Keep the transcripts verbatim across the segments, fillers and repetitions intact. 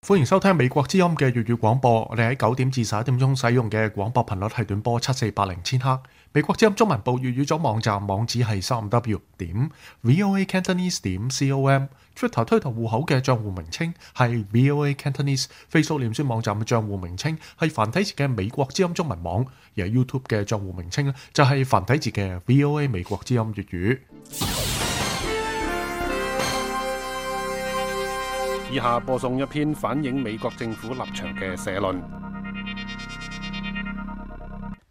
歡迎收聽美國之音嘅粵語廣播。我哋喺九點至十一點鐘使用嘅廣播頻率係短波七四八零千赫。美國之音中文部粵語組網站網址係三五 w 點 voa cantonese 點 com。Twitter 推特戶口嘅賬戶名稱係 voa cantonese。Facebook 臉書網站嘅賬戶名稱係繁體字嘅美國之音中文網，而係 YouTube 嘅賬戶名稱咧就係繁體字嘅 voa 美國之音粵語。以下播送一篇反映美國政府立場嘅社論。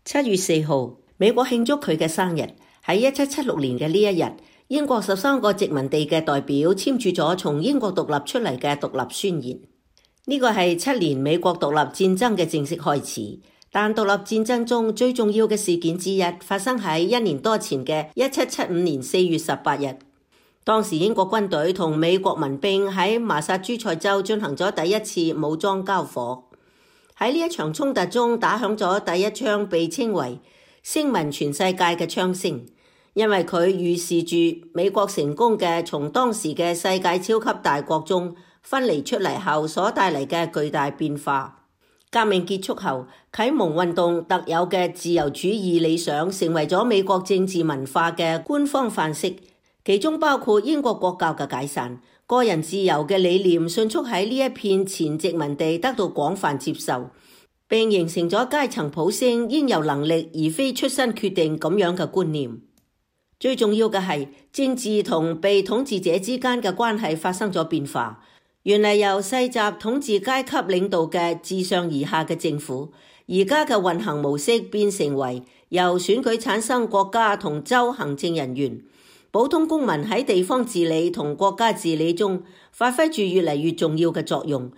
七月四號，美國慶祝佢嘅生日。喺一七七六年嘅呢一日，英國十三個殖民地嘅代表簽署咗從英國獨立出嚟嘅獨立宣言。呢個係七年美國獨立戰爭嘅正式開始。但獨立戰爭中最重要嘅事件之一發生喺一年多前嘅一七七五年四月十八日。當時英國軍隊同美國民兵喺麻薩諸塞州進行咗第一次武裝交火。喺呢一場衝突中打響咗第一槍被稱為聲聞全世界嘅槍聲，因為佢預示住美國成功嘅從當時嘅世界超級大國中分離出嚟後所帶嚟嘅巨大變化。革命結束後，啟蒙運動特有嘅自由主義理想成為咗美國政治文化嘅官方範式。其中包括英國國教嘅解散，個人自由嘅理念迅速喺呢一片前殖民地得到廣泛接受，並形成咗階層普升應有能力而非出身決定咁樣嘅觀念。最重要嘅係政治同被統治者之間嘅關係發生咗變化。原嚟由世襲統治階級領導嘅自上而下嘅政府，而家嘅運行模式變成為由選舉產生國家同州行政人員。普通公民喺地方治理同國家治理中發揮住越嚟越重要嘅作用。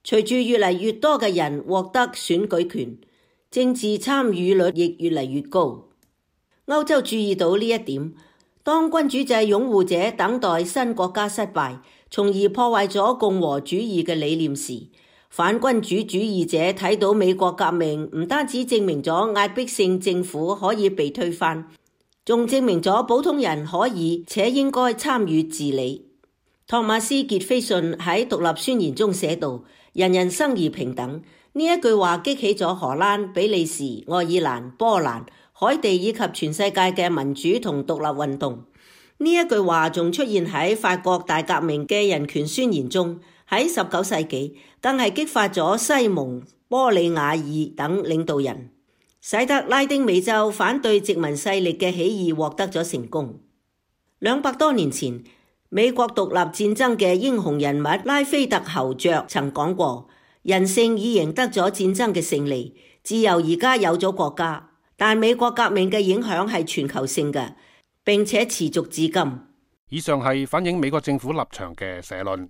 隨住越嚟越多嘅人獲得選舉權，政治參與率亦越嚟越高。歐洲注意到呢一點，當君主制擁護者等待新國家失敗，從而破壞咗共和主義嘅理念時，反君主主義者睇到美國革命唔單止證明咗壓迫性政府可以被推翻，仲證明咗普通人可以且應該參與治理。托馬斯傑斐遜喺獨立宣言中寫道：人人生而平等。呢一句話激起咗荷蘭、比利時、愛爾蘭、波蘭、海地以及全世界嘅民主同獨立運動。呢一句話仲出現喺法國大革命嘅人權宣言中。喺十九世紀更係激發咗西蒙、波里瓦爾等領導人，使得拉丁美洲反對殖民勢力嘅起義獲得咗成功。兩百多年前，美國獨立戰爭嘅英雄人物拉菲特侯爵曾講過：人性已贏得咗戰爭嘅勝利，自由而家有咗國家。但美國革命嘅影響係全球性嘅，並且持續至今。以上係反映美國政府立場嘅社論。